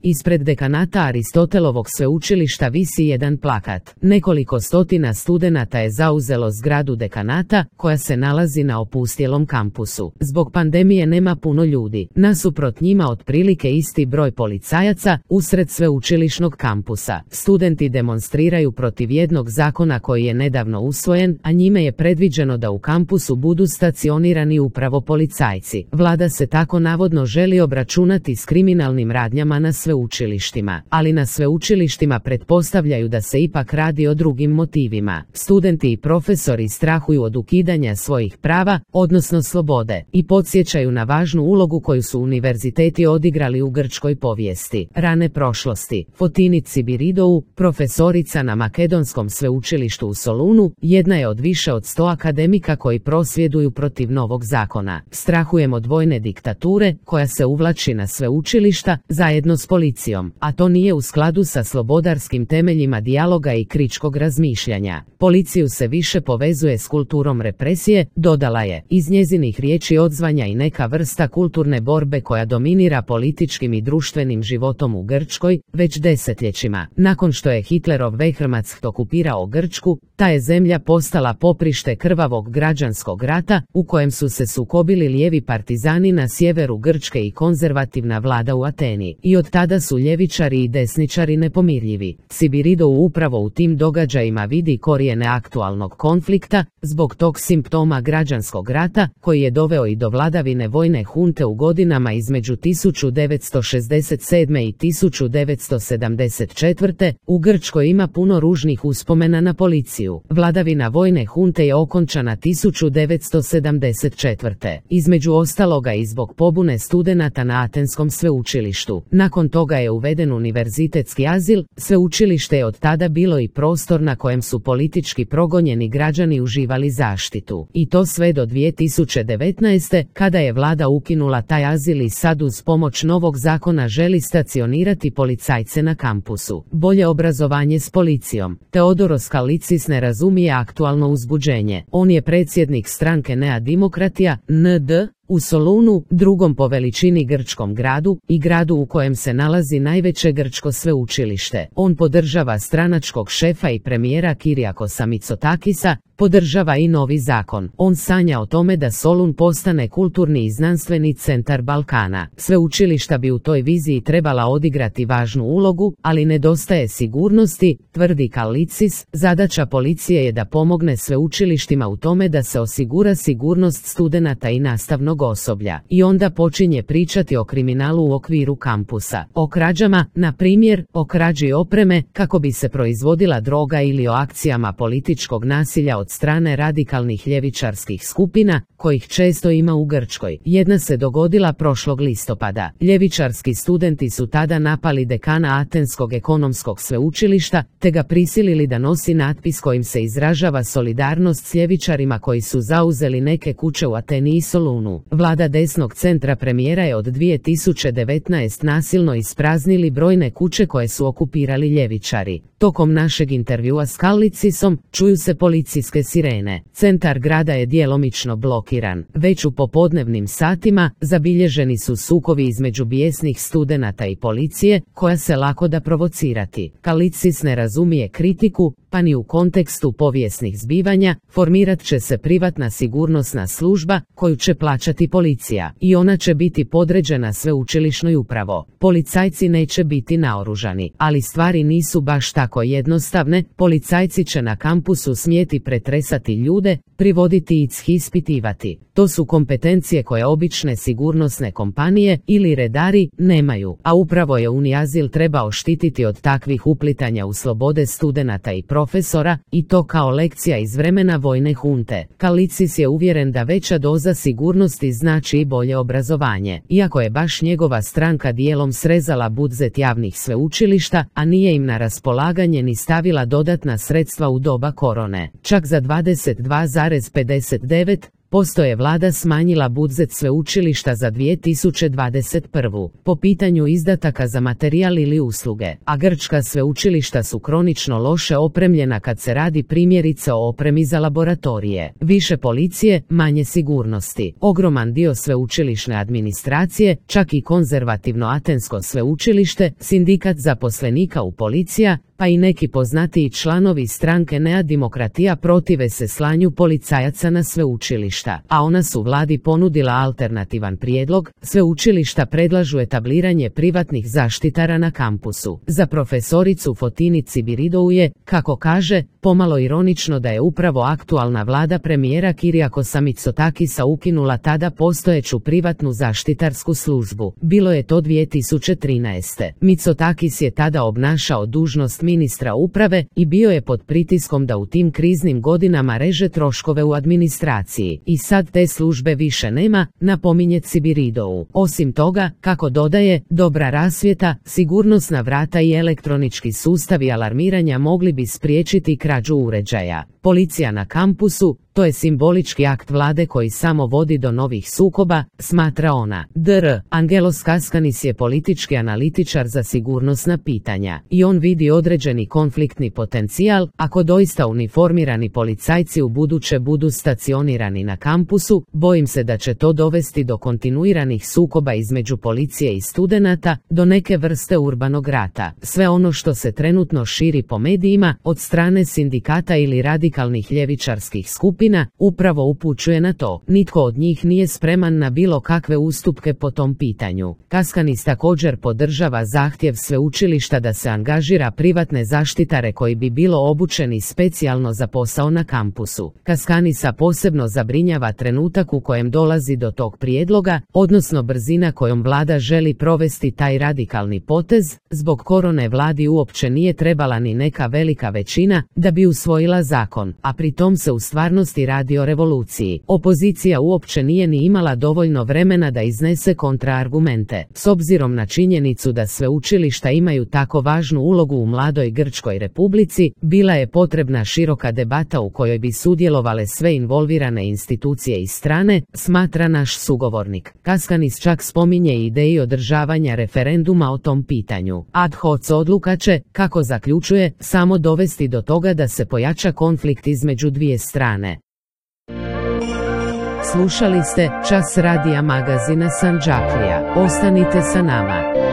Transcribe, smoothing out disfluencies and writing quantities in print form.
Ispred dekanata Aristotelovog sveučilišta visi jedan plakat. Nekoliko stotina studenata je zauzelo zgradu dekanata, koja se nalazi na opustjelom kampusu. Zbog pandemije nema puno ljudi. Nasuprot njima otprilike isti broj policajaca usred sveučilišnog kampusa. Studenti demonstriraju protiv jednog zakona koji je nedavno usvojen, a njime je predviđeno da u kampusu budu stacionirani upravo policajci. Vlada se tako navodno želi obračunati s kriminalnim radnjama na sveučilištima, ali na sveučilištima pretpostavljaju da se ipak radi o drugim motivima. Studenti i profesori strahuju od ukidanja svojih prava, odnosno slobode, i podsjećaju na važnu ulogu koju su univerziteti odigrali u grčkoj povijesti, rane prošlosti. Fotini Tsibiridou, profesorica na Makedonskom sveučilištu u Solunu, jedna je od više od 100 akademika koji prosvjeduju protiv novog zakona. Strahujem od vojne diktature koja se uvlači na sveučilišta zajedno s policijom, a to nije u skladu sa slobodarskim temeljima dijaloga i kritičkog razmišljanja. Policiju se više povezuje s kulturom represije, dodala je. Iz njezinih riječi odzvanja i neka vrsta kulturne borbe koja dominira političkim i društvenim životom u Grčkoj već desetljećima. Nakon što je Hitlerov Wehrmacht okupirao Grčku, ta je zemlja postala poprište krvavog građanskog rata u kojem su se sukobili lijevi partizani na sjeveru Grčke i konzervativna vlada u Ateni. I od tada su ljevičari i desničari nepomirljivi. Tsibiridou upravo u tim događajima vidi korijene aktualnog konflikta, zbog tog simptoma građanskog rata, koji je doveo i do vladavine vojne hunte u godinama između 1967. i 1974. U Grčkoj ima puno ružnih uspomena na policiju. Vladavina vojne hunte je okončana 1974. Između ostaloga i zbog pobune studenata na Atenskom sveučilištu. Nakon toga je uveden univerzitetski azil, sveučilište je od tada bilo i prostor na kojem su politički progonjeni građani uživali zaštitu. I to sve do 2019. kada je vlada ukinula taj azil i sad uz pomoć novog zakona želi stacionirati policajce na kampusu. Bolje obrazovanje s policijom. Teodoros Kallitzis ne razumije aktualno uzbuđenje. On je predsjednik stranke Nea Dimokratija, ND, u Solunu, drugom po veličini grčkom gradu i gradu u kojem se nalazi najveće grčko sveučilište. On podržava stranačkog šefa i premijera Kyriakosa Mitsotakisa, podržava i novi zakon. On sanja o tome da Solun postane kulturni i znanstveni centar Balkana. Sveučilišta bi u toj viziji trebala odigrati važnu ulogu, ali nedostaje sigurnosti, tvrdi Kallitzis. Zadaća policije je da pomogne sveučilištima u tome da se osigura sigurnost studenata i nastavnog osoblja. I onda počinje pričati o kriminalu u okviru kampusa. O krađama, na primjer, o krađi opreme kako bi se proizvodila droga ili o akcijama političkog nasilja od strane radikalnih ljevičarskih skupina, kojih često ima u Grčkoj. Jedna se dogodila prošlog listopada. Ljevičarski studenti su tada napali dekana Atenskog ekonomskog sveučilišta, te ga prisilili da nosi natpis kojim se izražava solidarnost s ljevičarima koji su zauzeli neke kuće u Ateni i Solunu. Vlada desnog centra premijera je od 2019 nasilno ispraznili brojne kuće koje su okupirali ljevičari. Tokom našeg intervjua s Kallitsisom čuju se policijske sirene. Centar grada je djelomično blokiran. Već u popodnevnim satima zabilježeni su sukovi između bijesnih studenata i policije, koja se lako da provocirati. Kallitsis ne razumije kritiku, pa ni u kontekstu povijesnih zbivanja. Formirat će se privatna sigurnosna služba koju će plaćati policija i ona će biti podređena sveučilišnoj upravo. Policajci neće biti naoružani, ali stvari nisu baš tako jednostavne. Policajci će na kampusu smjeti pretresati ljude, privoditi i ispitivati. To su kompetencije koje obične sigurnosne kompanije ili redari nemaju, a upravo je Uniazil trebao štititi od takvih uplitanja u slobode studenata i profesora, i to kao lekcija iz vremena vojne hunte. Kallitsis je uvjeren da veća doza sigurnosti znači i bolje obrazovanje, iako je baš njegova stranka dijelom srezala budžet javnih sveučilišta, a nije im na raspolaganje ni stavila dodatna sredstva u doba korone. Čak za 22,59 Posto je vlada smanjila budžet sveučilišta za 2021. po pitanju izdataka za materijal ili usluge, a grčka sveučilišta su kronično loše opremljena kad se radi primjerice o opremi za laboratorije. Više policije, manje sigurnosti. Ogroman dio sveučilišne administracije, čak i konzervativno Atensko sveučilište, sindikat zaposlenika u policija, pa i neki poznatiji članovi stranke Nea Dimokratija protive se slanju policajaca na sveučilišta, a ona su vladi ponudila alternativan prijedlog. Sveučilišta predlažu etabliranje privatnih zaštitara na kampusu. Za profesoricu Fotini Tsibiridou je, kako kaže, pomalo ironično da je upravo aktualna vlada premijera Kyriakosa Mitsotakisa ukinula tada postojeću privatnu zaštitarsku službu. Bilo je to 2013. Mitsotakis je tada obnašao dužnost ministra uprave i bio je pod pritiskom da u tim kriznim godinama reže troškove u administraciji. I sad te službe više nema, napominje Tsibiridou. Osim toga, kako dodaje, dobra rasvjeta, sigurnosna vrata i elektronički sustavi alarmiranja mogli bi spriječiti krađu uređaja. Policija na kampusu, to je simbolički akt vlade koji samo vodi do novih sukoba, smatra ona. Dr. Angelos Kaskanis je politički analitičar za sigurnosna pitanja i on vidi određeni konfliktni potencijal ako doista uniformirani policajci u buduće budu stacionirani na kampusu. Bojim se da će to dovesti do kontinuiranih sukoba između policije i studenata, do neke vrste urbanog rata. Sve ono što se trenutno širi po medijima od strane sindikata ili radikalnih ljevičarskih skupina upravo upućuje na to. Nitko od njih nije spreman na bilo kakve ustupke po tom pitanju. Kaskanis također podržava zahtjev sveučilišta da se angažira privatne zaštitare koji bi bilo obučeni specijalno za posao na kampusu. Kaskanisa posebno zabrinjava trenutak u kojem dolazi do tog prijedloga, odnosno brzina kojom vlada želi provesti taj radikalni potez. Zbog korone vladi uopće nije trebala ni neka velika većina da bi usvojila zakon, a pri tom se u stvarnosti radi o revoluciji. Opozicija uopće nije ni imala dovoljno vremena da iznese kontraargumente. S obzirom na činjenicu da sveučilišta imaju tako važnu ulogu u mladoj Grčkoj republici, bila je potrebna široka debata u kojoj bi sudjelovale sve involvirane institucije i strane, smatra naš sugovornik. Kaskanis čak spominje ideju održavanja referenduma o tom pitanju. Ad hoc odluka će, kako zaključuje, samo dovesti do toga da se pojača konflikt između dvije strane. Slušali ste Čas radija magazina Sandžaklija. Ostanite sa nama.